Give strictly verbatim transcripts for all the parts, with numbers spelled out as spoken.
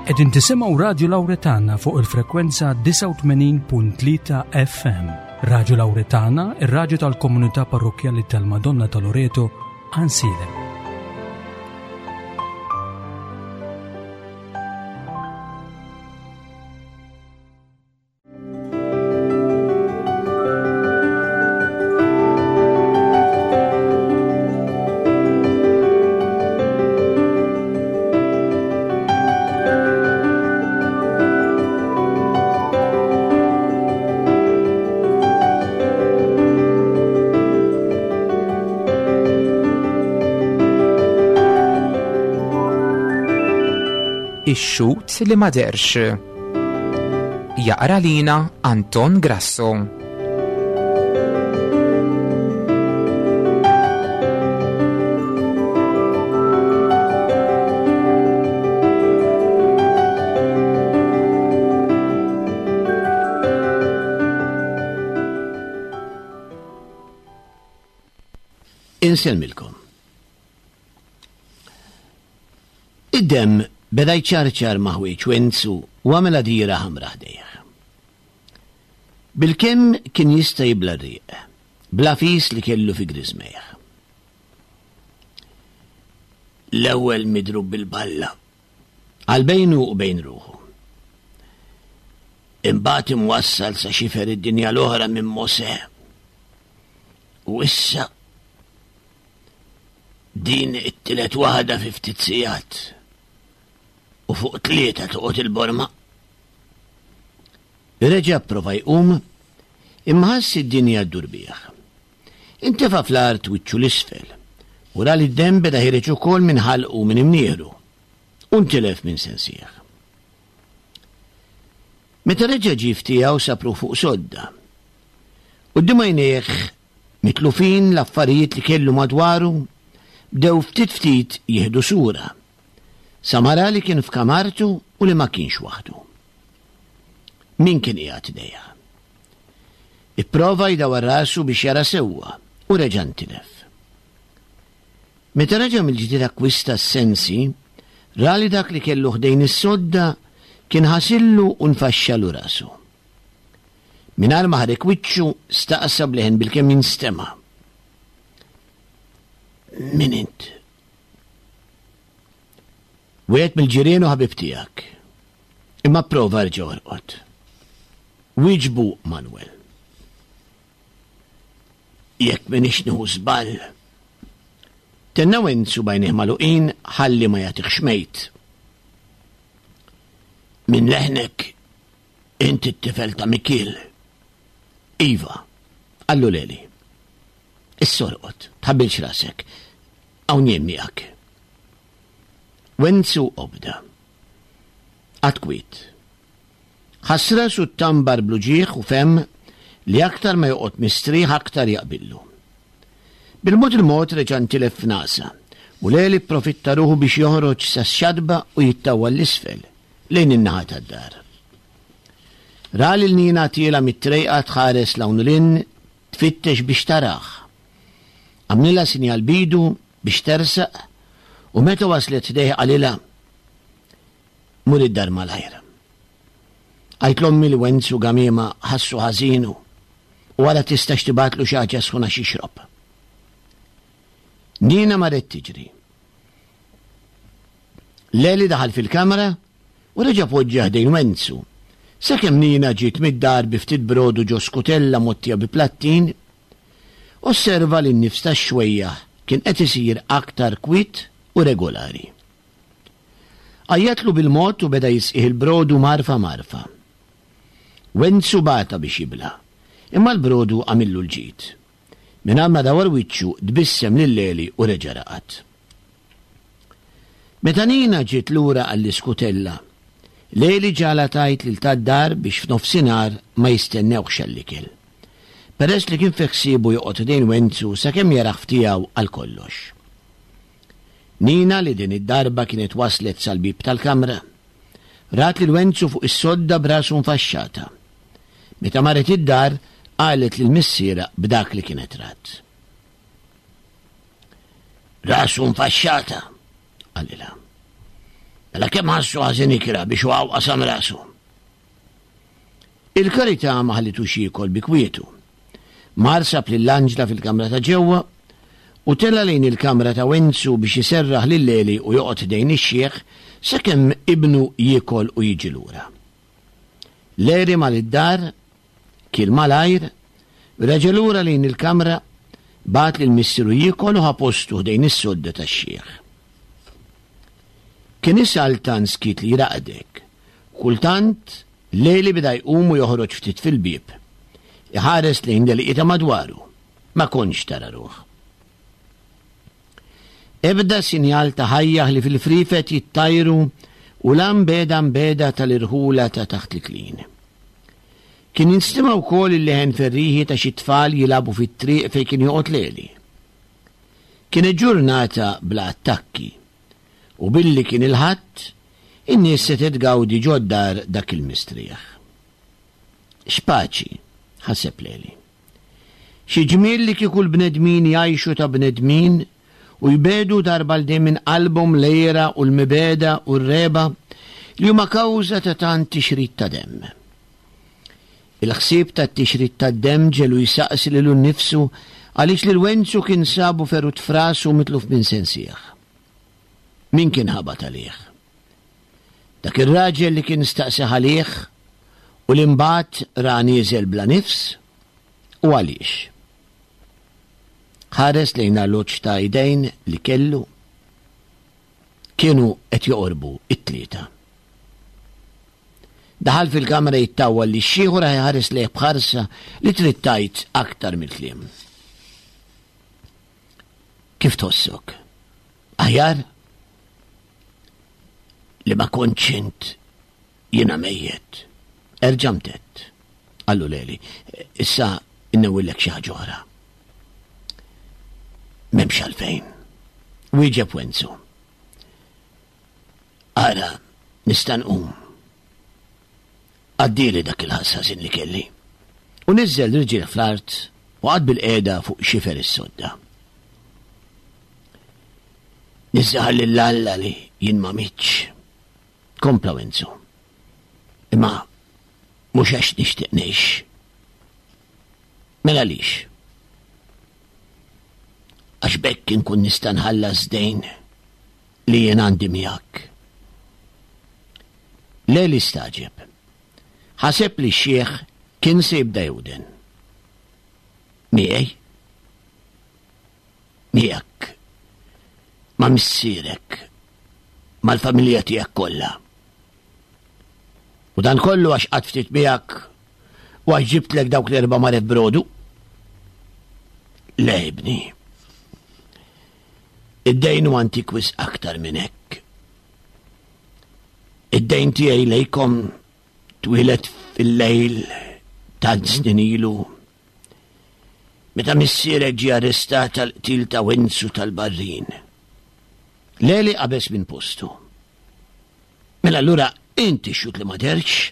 Qegħdin tisimgħu Radju Lawretana fuq il-frekwenza disgħa u tmenin punt tlieta F M. Radju Lawretana, ir-radju tal-komunità parrokkjali tal-Madonna ta' Loreto, Għajnsielem. Ix-xhud li ma derx. Jaqra lina Anton Grasso. Insellmilkom. Id-demm beda jċarċar ma' ħwieġ Wenzu u għamel għadira ħamra ħdejh. Bilkemm kien jista' jibla r-riq, bla fis li kellu fi griżmejh. L-ewwel midrub bil-balla, għal bejnu u bejn ruħu. Imbagħad imwassal sa xifer id-dinja l-oħra minn Mosè. U issa din it-tielet waħda fi ftit sigħat. U fuq tlieta toqgħod il-borma. Reġa' pprova jqum, imma ħass id-dinja ddur bih. Intefa' fl-art wiċċu l-isfel, u ra li d-demm beda ħireġ ukoll minn ħalqu minn imnieħru, u ntilef minn sensih. Meta reġa' ġie ftiegħu sapru fuq sodda. Quddiem għajnejh mitlufin l-affarijiet li kellu madwaru bdew ftit ftit jieħdu sura. Samara li kien f'kamartu u li ma kienx waħdu. Min kien qiegħed idejha? Ipprova jdawwar rasu biex jara sewwa u reġa' ntilef. Meta reġa' mill-ġdid akkwista s-sensi, ra li dak li kellu ħdejn is-sodda kien ħasillu u nfaxxalu rasu. Mingħajr ma ħarek wiċċu staqsa bleħen bilkemm jinstema'. Min int? Wieħed mill-ġirien u ħabib tiegħek. Imma prova rġa' orqod. Wieġbu Manuel. Jekk m'iniex nieħu żball. Tenna Wenzu bajnih magħluqin ħalli ma jagħtihx mejt. Min leħnek inti t-tifel ta' Mikiel. Iva, qallu Leli. Issorqod, tħabbilx rasek. Hawn jien miegħek. Wenzu obda. Għad kwiet. Ħass rasu t-tambar bluġieħ u fem li aktar ma joqgħod mistrieħ aktar jaqbillu. Bil-mod il-mod reġa' ntilef f'nasa u Leli pprofitta ruħu biex joħroġ sa x-xadba u jittawwal l-isfel lejn in-naħa tad-dar. Ra lil Nina tiela mit-trejqa tħares 'l hawn u 'l hinn tfittex biex taraħ. Għamlilha sinjal bidu biex tersaq u meta waslet ħdejh qalilha mur id-dar malajr. Għajt l-ommi li Wenzu Gamiema ħassu ħażinu u wara tistax tibatlu xi ħaġa sħuna xixrob. Nina marret tiġri. Leli daħal fil-kamra u reġa' poġġa ħdejn Wenzu. Sakemm Nina ġiet mid-dar bi ftit brodu ġo skutella mottija bi plattin, osserva li n-nifs tax-xwejjaħ kien qed isir aktar kwiet u regolari. Għajjatlu bil-mod u beda jisqih il-brodu marfa marfa. Wenzu bata biex jibla, imma l-brodu għamillu l-ġid. Mingħajr ma dawar wiċċu tbissem lil Leli u reġa' raqad. Meta Nina ġiet lura għall-iskutella, Leli ġala tajt lil tad-dar biex f'nofsinhar ma jistennewx għall-ikel. Peress li kien fi ħsiebu joqgħod ħdejn Wenzu sakemm jaraħ ftiegħu għal kollox. Nina li din id-darba kienet waslet sal-bib tal-kamra, rat lil Wenzu fuq is-sodda b'rasu nfaxxata. Meta marret id-dar, qalet lil missiera b'dak li kienet rat. Rasu nfaxxata, qalilha. Mela kemm ħassu ħażin ikra biex waqgħu qasam rasu. Il-karità ma ħallitux jiekol bi kwietu. Mar sab lil Anġla fil-kamra ta' ġewwa u tela' lejn il-kamra ta' Wenzu biex iserraħ lil Leli u joqgħod ħdejn ix-xiħ sakemm ibnu jiekol u jiġi lura. Leri mar id-dar, kiel malajr, reġa' lura lejn il-kamra, bagħat lil missieru jiekol u ħa postu ħdejn is-sodda tax-xiħ. Kien isaltan skiet li jraqdek. Kultant, Leli beda jqum u joħroġ ftit fil-bieb. Iħares lejn l-għelieqi ta' madwaru. Ma kontx tara ruħ. Ebda sinjal ta' ħajja li fil-frifet jittajru u l-ambeda mbeda tal-irħula ta' taħt l-klin. Kien jinstema' wkoll il-leħen ferriħi ta' xi tfal jilagħbu fit-triq fejn kien joqgħod Leli. Kienet ġurnata bla attakki u billi kien il-Ħadd, in-nies setgħet tgawdi ġod-dar dak il-mistrieħ. X'paċi, ħaseb Leli. Xi ġmiel li kieku l-bnedmin jgħixu ta' bnedmin u jbedu darba l minn qalbhom l-għira u l-mibegħda u r-regħba li huma kawża ta' tant tixrid ta' demm. Il-ħsieb tat-tixrid tad-demm ġelu jsaqsi lilu nnifsu għaliex lil Wenzu kien sabu ferut f'rasu mitluf minn sensih. Min kien ħabat għalih? Dak ir-raġel li kien staqsi għalih u li mbagħad ra nieżel bla nifs? U għaliex? Ħares lejn arloġġ ta' idejn li kellu. Kienu qed joqorbu it-tlieta. Daħal fil-kamra jittawwal li x-xiħ u raħ iħares lejh b'ħarsa li trid tgħid aktar mill-kliem. Kif tħossok? Aħjar? Li ma kontx int jiena mejjet. Erġa' mtett, qallu Leli. Issa innewwillek xi ħaġa oħra. M'hemmx għalfejn. Wieġeb Wenzu. Ara, nista' nqum. Għaddieli dak il-ħass ħażin li kelli. U niżżel riġlih fl-art u qagħad bil-qiegħda fuq xifer is-sodda. Niżżaħar lil Alla li jien ma mitx. Kompla Wenzu. Imma mhux għax nixtieq ngħix. Mela għaliex? Għax b'hekk inkun nista' nħallas dejn li jien għandi miegħek. Leli staġeb. Ħaseb li x-xiħ kien se jibda jewden. Miegħi? Miegħek. Ma' missierek. Mal-familja tiegħek kollha. U dan kollu għax qatt ftit miegħek u għax ġibtlek dawk l-erba' maref brodu? Le, ibni. Id-dejn hu antik wisq aktar minn hekk. Id-dejn tiegħi lejkom twieled fil-lejl tant snin ilu. Meta missierek ġie arrestat għall-qtil ta' Wenzu tal-Barrin. Leli qabeż minn postu. Mela allura inti xut li ma derx?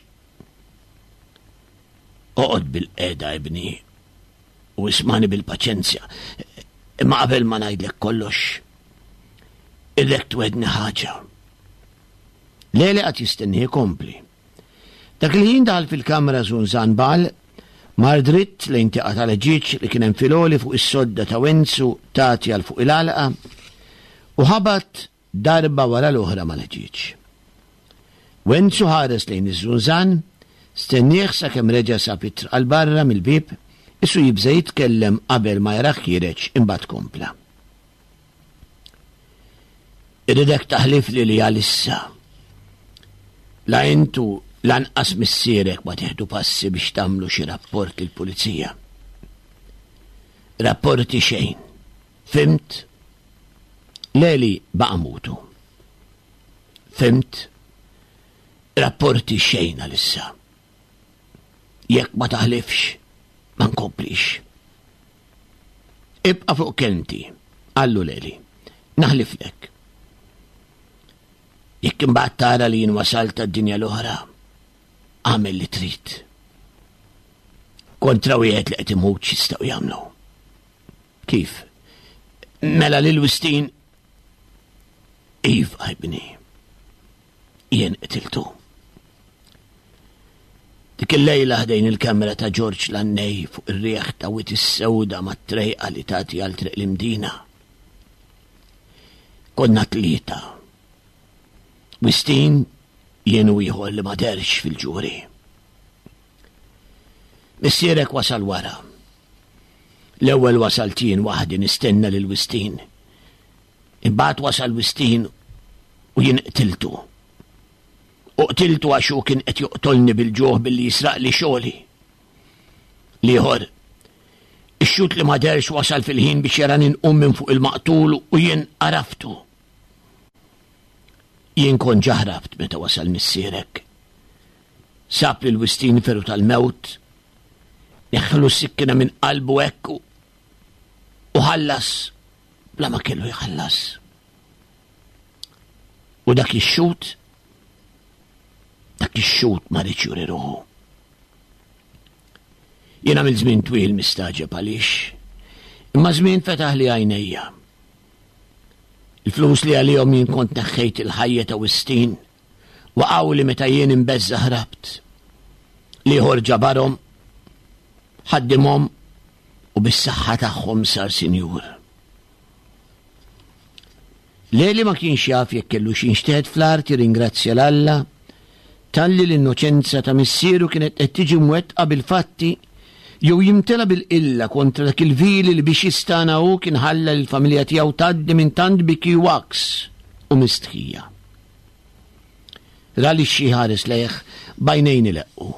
Oqgħod bil-qeda, ibni, u ismani bil-paċenzja. Imma qabel ma ngħidlek kollox, irrek twedni ħaġa. Leli qed jistenni jkompli. Dak il-ħin daħal fil-kamra Zunzan Bal, mar dritt lejn tieqa tal-ħġieġ li kien hemm fil-għoli fuq is-sodda ta' Wenzu tagħti għal fuq il-għalqa u ħabat darba wara l-oħra mal-ħġieġ. Wenzu ħares lejn iż-Zunzan, stennieh sakemm reġa' sab it-triq għal barra mill-bieb, isu jibża' jitkellem qabel ma jarah ħiereġ imbagħad kompla. Irridek taħlifli li għalissa la intu lanqas missierek ma tieħdu passi biex tagħmlu xi rapport lill-pulizija. Rapporti xejn. Fimt? Leli baqa' mutu. Fimt? Rapporti xejn għalissa. Jekk ma taħlifx, ma nkomplix. Ibqa' fuq kelmti, qallu Leli. Naħliflek. Jekk imbagħad tara li jien wasalt għad-dinja l-oħra, agħmel li trid. Kontra wieħed li qed imut x'jistgħu jagħmlu. Kif? Mela lil Wistin Iva, ibni. Jien qtiltu. Dik il-lejla ħdejn il-kamra ta' Ġorġ Lannej fuq ir-riħ ta' Wied is-Sewda mat-trejqa li tagħti għal Triq l-Imdina. Konna tlieta. Wistin, jien u ieħor li ma derx fil-ġuri. Missierek wasal wara. L-ewwel wasalt jien waħdi nistenna lil Wistin. Imbagħad wasal Wistin u jien qtiltu. U qtiltu għax hu kien qed joqtolni bil-ġuħ billi jisraqli xogħli. L-ieħor, ix-xhud li ma derx wasal fil-ħin biex jarani nqum minn fuq il-maqtul u jien għaraftu. Jien kont ġa ħrabt meta wasal missierek. Sab lil Wistin feru tal-mewt, neħħlu s-sikkina minn qalbu hekk u ħallas bla ma kellu jħallas. U dak ix-xhud, dak ix-xhud ma riedx juri ruħu. Jiena mill żmien twil mistaġeb għaliex, imma żmien fetaħ li għajnejja. Il-flus li għalihom jien kont neħħejt il-ħajja ta' Wistin waqgħu li meta jien imbeżża ħrabt. L-ieħor ġabarhom, ħaddimhom u bis-saħħa tagħhom sar sinjur. Leli ma kienx jaf jekk kellu x'inxteħet fl-art jirringrazzja 'l Alla talli l-innoċenza ta' missieru kienet qed tiġi mwettqa bil-fatti jew jimtela bil-qilla kontra dak il-vili li biex jistana hu kien ħalla lill-familja tiegħu tgħaddi minn tant biki waks u mistħija. Ra li xi ħares lejh b'għajnejn ileqqu.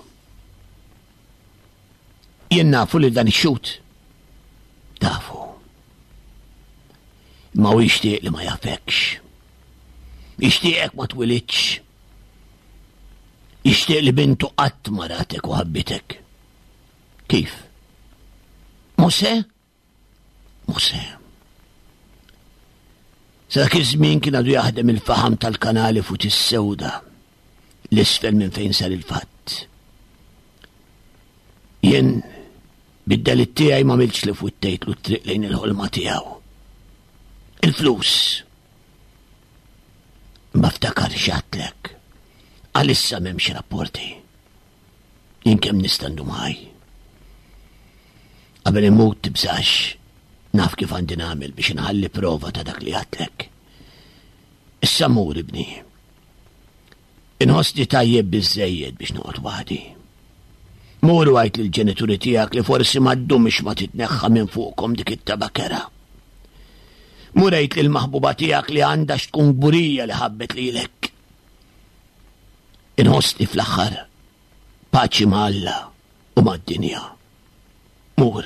Jien nafu li dan ix-xhud. Tafu. Ma hu jixtieq li ma jafekx. Jixtieqek ma twilidx. Jixtieq li bintu qatt ma ratek u ħabbitek. Kif? Mose? Mose. Sa dak iż-żmien kien għadu jaħdem il-faħam tal-kanali fuq is-sewda l-isfel minn fejn sar il-fatt. Jien bid-delitt tiegħi ma miltx li futtejtlu t-triq lejn il-ħolma tiegħu. Il-flus. Ma ftakar x'għedtlek. Għalissa m'hemmx rapporti. Jien kemm nista' ndum ħaj. Qabel immut tibżax, naf kif għandi nagħmel biex inħalli prova ta' dak li għedtlek. Issa mur ibni. Inħossni tajjeb biżżejjed biex noqgħod waħdi. Mur u għid lill-ġenituri tiegħek li forsi ma ddumx ma titneħħa minn fuqkom dik it-tabakera. Mur għid lill-maħbuba tiegħek li għandha x'tkun kburija li ħabbet lilek. Inħossni fl-aħħar paċi ma' Alla u mad-dinja. Mur,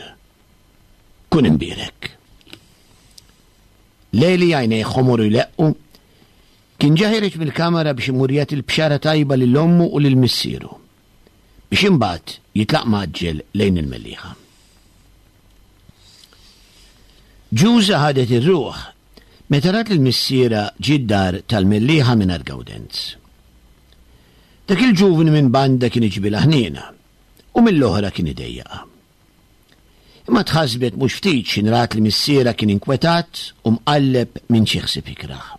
kun imbierek. Leli għajnejh ħomor u jleqqu kien ġa ħiereġ mill-kamera biex imur jagħti l-bxara tajba lil ommu u lil missieru biex imbagħad jitlaq mgħaġġel lejn il-Mellieħa. Ġuża ħadet ir-ruħ meta rat lil missiera ġie d-dar tal-Mellieħa mingħajr Gawdenz. Dak il-ġuvni minn banda kien iġbilha ħniena u mill-oħra kien idejjaqha. Imma tħassbet mhux ftit x'in rat li missiera kien inkwetat u mqalleb minn xi ħsieb ikrah.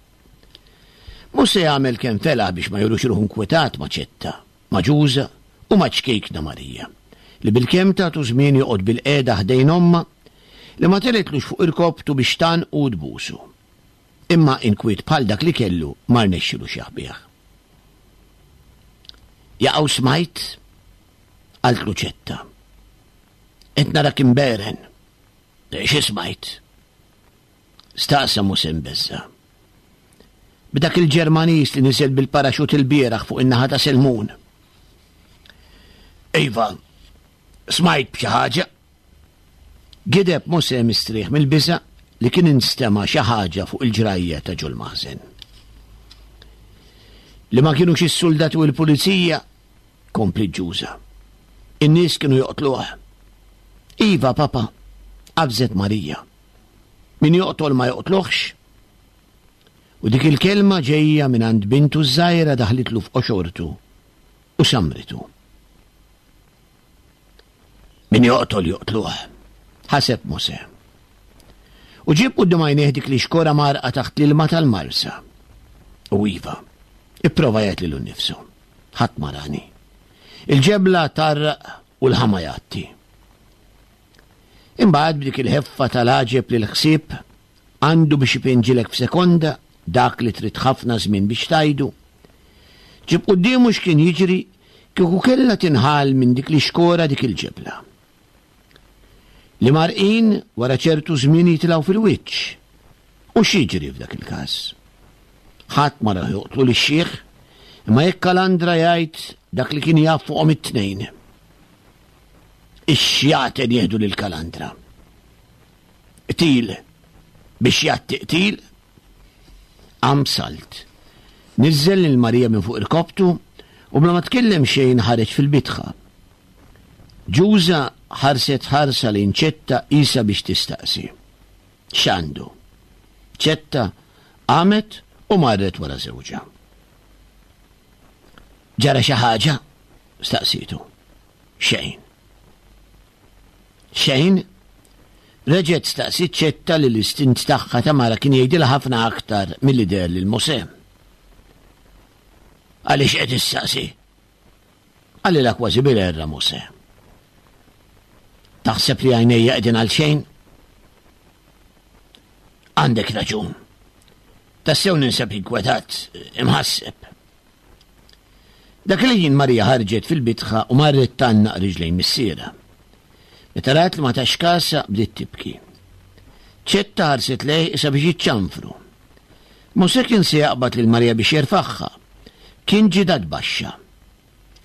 Mhux se jagħmel kemm felaħ biex ma jurux ruħu nkwetat ma' Ċetta, ma' Ġuża u ma' ċkejkna Marija, li bilkemm tagħtu żmien joqgħod bilqiegħda ħdejn ommha li ma telitlux fuq irkobtu biex tgħannqu u tbusu. Imma inkwiet bħal dak li kellu ma rnexxilux jaħbih. Jaqgħu smajt? Qaltlu Ċetta. Qed narak imberen. Xi smajt? Staqsa Muse mbeżża'. B'dak il-Ġermaniż li niżel bil-paraxut il-bieraħ fuq in-naħa ta' Selmun. Iva, smajt b'xi ħaġa. Gideb Mose mistrieħ mill-biża' li kien instema' xi ħaġa fuq il-ġrajja ta' ġol-maħżen. Li ma kienux is-soldati u l-pulizija, kompli Ġuża. In-nies kienu joqtluh. Iva, papa, qabżet Marija. Min joqtol ma joqtluhx. U dik il-kelma ġejja minn għand bintu ż-żgħira daħlitlu f'qoxortu u samritu. Min joqtol joqtluh, ħaseb Mose. U ġieb quddiem għajnejh dik li xkora marqa taħt l-ilma tal-marsa. U iva, Ipprova jgħid lilu nnifsu. Ħadd ma rani. Il-ġebla tarraq u l-ħama jgħatti. Imbagħad b'dik il-ħeffa tal-għaġeb li l-ħsieb għandu biex ipinġilek f'sekonda dak li trid ħafna żmien biex tajdu. Ġib quddiemu x'kien jiġri kieku kellha tinħal minn dik l-ixkora dik il-ġebla. Li marqin wara ċertu żmien jitilgħu fil-wiċċ. U x'jiġri f'dak il-każ? Ħadd ma raħ joqtlu lix-xiħ, imma jekk Kalandra jgħid dak li kien jaf fuqhom it-tnejn. Ix-xjaten jieħdu lil Kalandra. Qtil biex jgħatti qtil, qam salt. Niżżel lil Marija minn fuq irkoptu u bla ma tkellem xejn ħareġ fil-bitħa. Ġuża ħarset ħarsa lejn Ċetta isa biex tistaqsi. X'għandu? Ċetta qamet u marret wara żewġha. Ġara xi ħaġa? Staqsitu. Xejn. Xejn? Reġgħet staqsiet Ċetta li l-istint tagħha ta' mara kien jgħidilha ħafna aktar milli deher lil Mosè. Għaliex qed issaqsi? Qalilha kważi bil-għerra Mosè. Taħseb li għajnejja qegħdin għal xejn? Għandek raġun. Tassew ninsab inkwetat, imħasseb. Dak il-ħin Marija ħarġet fil-bitħa u marret tgħannaq riġlejn missierha. Meta rat li ma tax kasha bdiet tibki. Ċetta ħarset lejh isa biex jiċċanfru. Mosè kien se jaqbad lil Marija biex jerfagħha. Kien ġidat baxxa.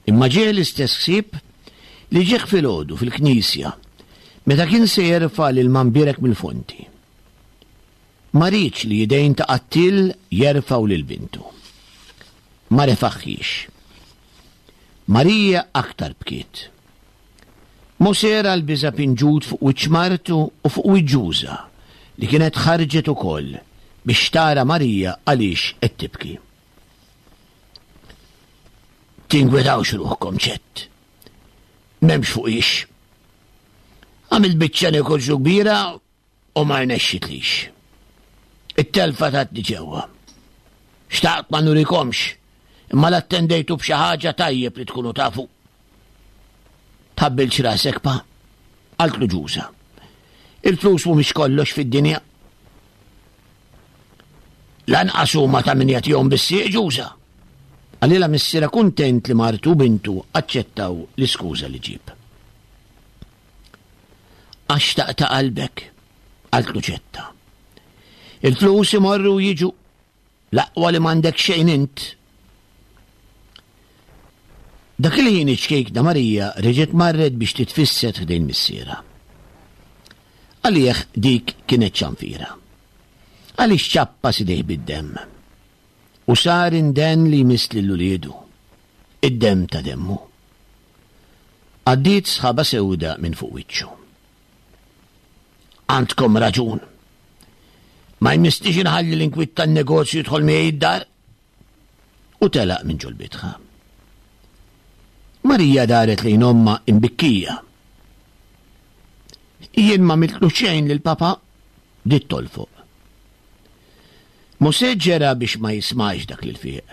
Imma ġie l-istess ħsieb li ġieħ filgħodu fil-knisja meta kien se jerfa' lil Mambierek mill-fonti. Ma riedx li idejn ta' qattil jerfgħu lil bintu. Ma refaħħiex. Marija aktar bkiet. Mosè ra l-biża' pinġut fuq wiċċ martu u fuq wiċċ Ġuża li kienet ħarġet ukoll biex tara Marija għaliex qed tibki. Tinkwetawx ruħkom Ċett. M'hemmx fuqiex. Għamilt biċċa negozju kbira u ma rnexxitlix. It-telfa tatni ġewwa. Xtaqt ma nurikomx, imma l-attendejtu b'xi ħaġa tajjeb li tkunu tafu. Tħabbilx rasek pa, qaltlu Ġuża. Il-flus mhumiex kollox fid-dinja. Lanqas huma ta' min jagħtihom bis-sieq Ġuża. Qalilha missierha kuntent li martu u bintu aċċettaw l-iskuża li ġieb. Għax taqta' qalbek, qaltlu Ċetta. Il-flus imorru u jiġu, l-aqwa li m'għandek xejn int. Dak il-ħin iċ-ċkejkna Marija reġgħet marret biex titfisset ħdejn missierha. Għalih dik kienet ċanfira. Għaliex ċappas idejh bid-demm. U sar inden li jmiss lil uliedu, id-demm ta' demmu. Għaddiet sħaba sewda minn fuq wiċċu. Għandkom raġun. Ma jmissniex inħalli l-inkwiet tan-negozju jidħol miegħi d-dar. U telaq minn ġol-bitħa. Marija daret lejn ommha imbikkija. Jien ma għamiltlu xejn lil papa, bdiet tolfoq. Mosè ġera biex ma jismax dak li l-fieq.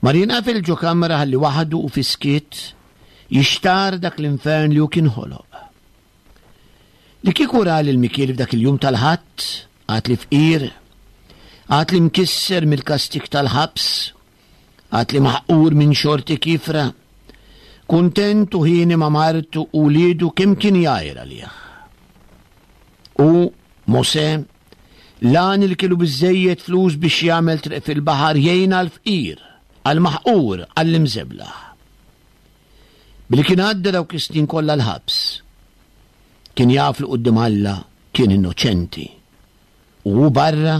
Mar jinqafel ġo kamra ħalli waħdu u fiskiet jixtar dak l-infern li hu kien ħoloq. Li kieku ra lil Mikiel f'dak il-jum tal-Ħadd, għad li fqir, għad li mkisser mill-kastik tal-ħabs, għad li maħqur minn xorti kifra, kuntent u ħieni ma' martu u wliedu kemm kien jgħir għalih. U Mosè, l-għani li kellu biżżejjed flus biex jagħmel triq fil-baħar jgħin għall-fqir, għall-maħqur, għall-imżeblaħ. Billi kien għadda dawk is-snin kollha l-ħabs, kien jaf li quddiem Alla kien innoċenti. U hu barra,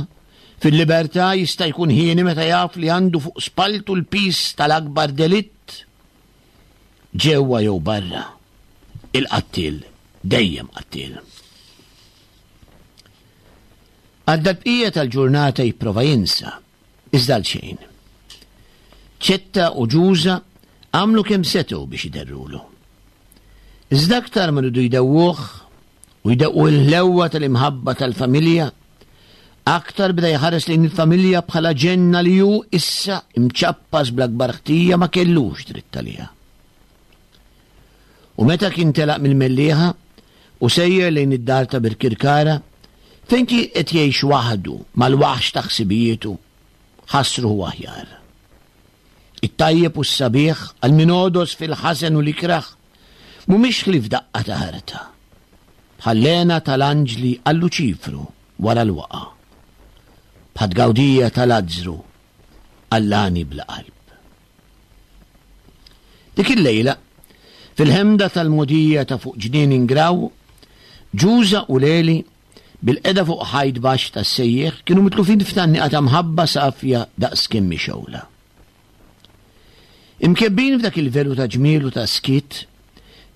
fil-libertà jista' jkun ħieni meta jaf li għandu fuq spaltu l-piż tal-akbar delitt. Ġewwa jew barra, il-qattiel dejjem qattiel. Għadda l-bqija tal-ġurnata jipprova jinsa, iżda għal xejn. Ċetta u Ġuża għamlu kemm setgħu biex iderrulu. Iżda aktar ma rridu jdewwuh u jdeqqu l-ħlewwa tal-imħabba tal-familja, Aktar beda jħares lejn il-familja bħala ġenna li hu issa imċappas bl-akbar ħtija ma kellux dritt għaliha. U meta kien telaq mill-Mellieħa u sejjer lejn id-dar ta' Birkirkara, fejn kien qed jgħix waħdu mal-waħx ta' ħsibijietu, ħass ruħu aħjar. It-tajjeb u s-sabiħ għal min għodos fil-ħażen u l-ikrah mhumiex ħlief daqqa ta' ħarta, bħall-hena tal-anġli għal Luċifru wara l-waqa', bħat-tgawdija ta' Lazzru għall-għani bla qalb. Dik il-lejla, fil-ħemda tal-mogħdija ta' fuq Ġnien Ingraw, Ġuża u Leli bil-qeda fuq ħajt baxx tas-sejjieħ kienu mitlufin f'tgħanniqa ta' mħabba safja daqs kemm hi xewla. Imkebbin f'dak il-velu ta' ġmiel u ta' skiet,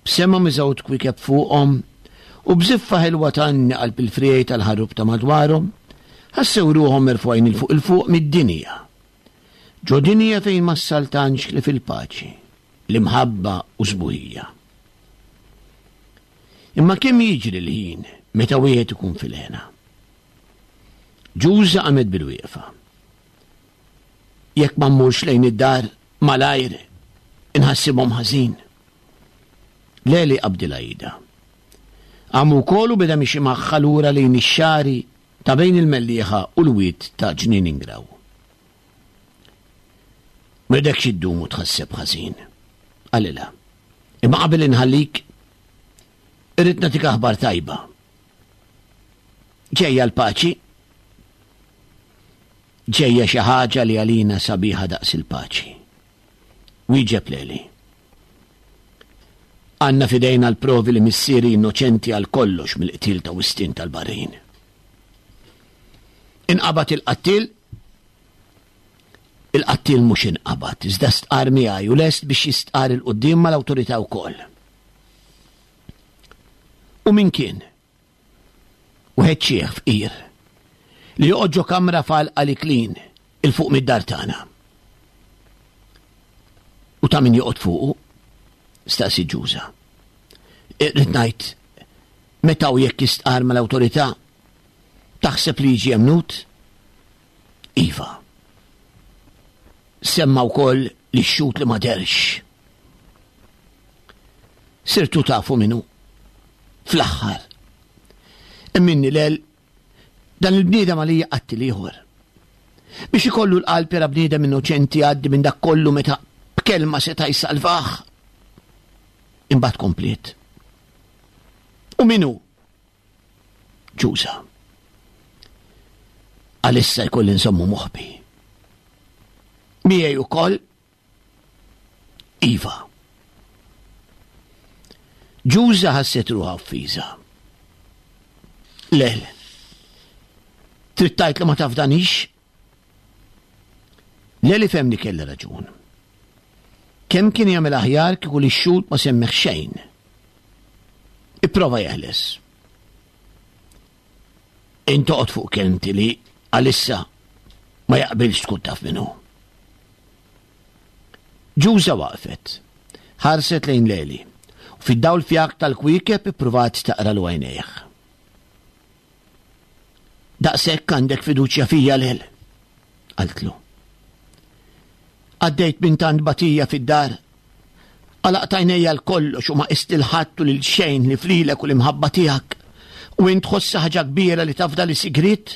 b'sema miżgħud kwiekeb fuqhom u b'żiffa ħelwa tgħanni qalb il-friegħi tal-ħarub ta' madwarhom, ħassew ruħhom merfugħin 'il fuq 'il fuq mid-dinja. Ġo dinja fejn ma ssaltanx li fil-paċi, l-imħabba u sbuħija. Imma kemm jiġri l-ħin meta wieħed ikun fil-hena? Ġuża qamet bil-wieqfa. Jekk ma mmurx lejn id-dar malajr inħassibhom ħażin. Leli qabdilha idha. Qam ukoll u beda mixi magħha lura lejn ix-xagħri ta' bejn il-Mellieħa u l-wied ta' Ġnien Ingraw. M'ridekx iddum u tħasseb ħażin, qalilha. Imma qabel inħallik, irrid nagħtik aħbar tajba. Ġejja l-paċi. Ġejja xi ħaġa li għalina sabiħa daqs il-paċi. Wieġeb Leli. Għandna f'idejna l-provi li missieri innoċenti għal kollox mill-qtil ta' Wistin tal-Barrin. Inqabad il-qattil? Il-qattil mhux inqabad, iżda stqar miegħi u lest biex jistqar il-quddiem mal-awtorità wkoll. U min kien? Wieħed xiħ fqir li joqgħod ġo kamra f'għalqa l-Iklin il fuq mid-dar tagħna. U ta' min joqgħod fuqu? Staqsi Ġuża. Irrid ngħid, meta u jekk jistqar mal-awtorità, taħseb li jiġi emnut? Iva. Semma wkoll li x-xut li ma derx. Sirtu tafu minnu. Fl-aħħar. Emminni lel, dan il-bniedem għalija qattil ieħor. Biex ikollu l-qalb jara bniedem innoċenti għaddi minn dak kollu meta b'kelma seta' jsalvah. Imbagħad kompliet. U min hu? Ġuża. Għalissa jkolli nżommu moħbi. Miegħi ukoll? Iva. Ġuża ħasset ruħha offiża. Lel, trid tgħid li ma tafdanix? Leli fehem li kellha raġun. Kemm kien jagħmel aħjar kieku li x-xhud ma semmeħ xejn. Ipprova jeħles. Intoqgħod fuq kelmti li għalissa ma jaqbilx tkun taf minnu. Ġuża waqfet, ħarset lejn Leli, u fid-dawl fjak tal-kwiekeb ippruvat taqra l għajnejh. Daqshekk għandek fiduċja fija lel, qaltlu. Għaddejt minn tant batija fid-dar, għalaqt għajnejja l-kollox u ma qist il-ħadd u lil xejn li flilek u l-imħabba tiegħek, u int tħossha ħaġa kbira li tafda li sigriet?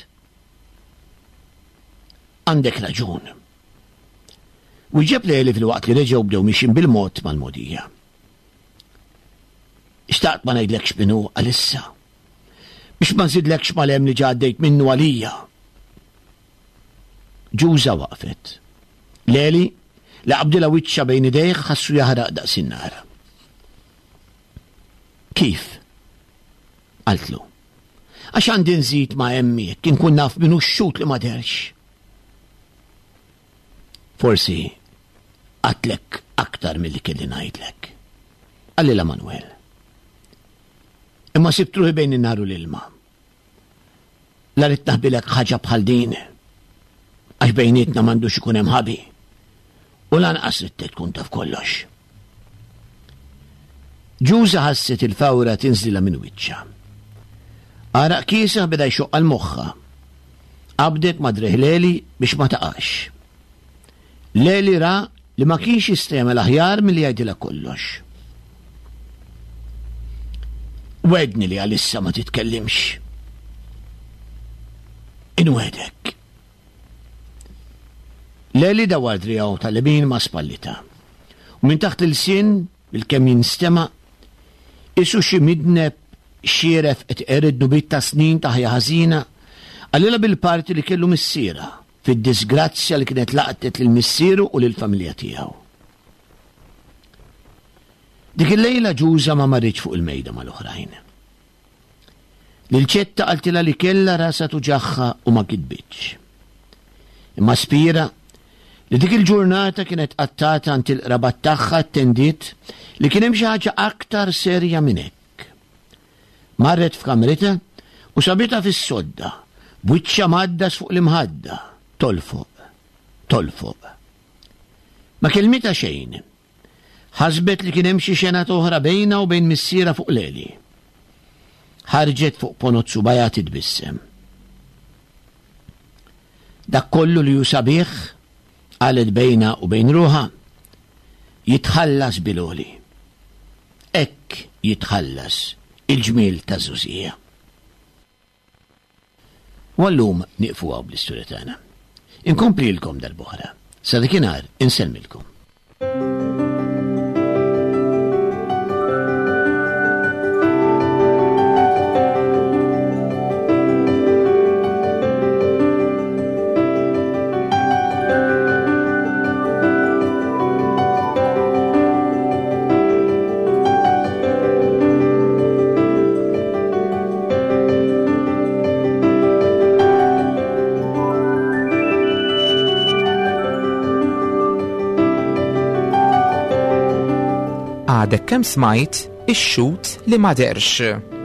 Għandek raġun. Wieġeb Leli fil-waqt li reġgħu bdew mixin bil-mod mal-mogħdija. Xtaqt ma ngħidlekx minnu għalissa, biex ma nżidlekx mal-hemm li ġa għaddejt minnu għalija. Ġuża waqfet. Leli, li qabdilha wiċċha bejn idejh, ħassu jaħraq daqs in-nar. Kif? Qaltlu. Għax għandi nżid ma' hemmi jekk inkun naf minnu x-xut li ma derx. Forsi għatlek aktar milli kelli ngħidlek. Qalilha Manuel. Imma sibt ruħi bejn in-nar u l-ilma. La rrid naħbilek ħaġa bħal din, għax bejnietna m'għandux ikun hemm ħabi, u lanqas ridtek tkun taf kollox. Ġuża ħasset il-fawra tinżilha minn wiċċha. Għaraq kiesaħ beda jxoqqa l-moħħa. Qabdet ma' driegħ Leli biex ma taqax. Leli ra li ma kienx jista' jagħmel aħjar milli jgħidilha kollox. Wedni li għalissa ma titkellimx. Inwedek. Leli dawar driegħu tal-lemin ma' spallita. U minn taħt il-sin, bil-kemm jinstema', isu xi midneb xieref qed iqered dnubiet ta' snin ta' ħajja ħażina, qalilha bil-parti li kellu missierha fid-disgrazzja li kienet laqtet lil missieru u lill-familja tiegħu. Dik il-lejla Ġuża ma marritx fuq il-mejda mal-oħrajn. Lil Ċetta qaltilha li kellha rasha tuġagħha u ma kitbitx. Imma Spira li dik il-ġurnata kienet qattata għand il-qrabat tagħha attendiet li kien hemm xi ħaġa aktar serja minn hekk. Marret f'kamritha u sabitha fis-sodda, b'wiċċha mgħaddas fuq l-imħadda, tolfoq, tolfoq. Ma kelmitha xejn. Ħasbet li kien hemm xi xena oħra bejnha u bejn missierha fuq Leli. Ħarġet fuq ponot subajha titbissem. Dak kollu li hu sabiħ, qalet bejnha u bejn ruħha, jitħallas bil-għoli. Hekk jitħallas il-ġmiel taż-żgħożija. U għallum nieqfu hawn bl-istorja tagħna. Inkomplilkom darb'oħra. Sa dakinhar insellmilkom. Għadek kemm smajt ix-xhud li ma dehrx.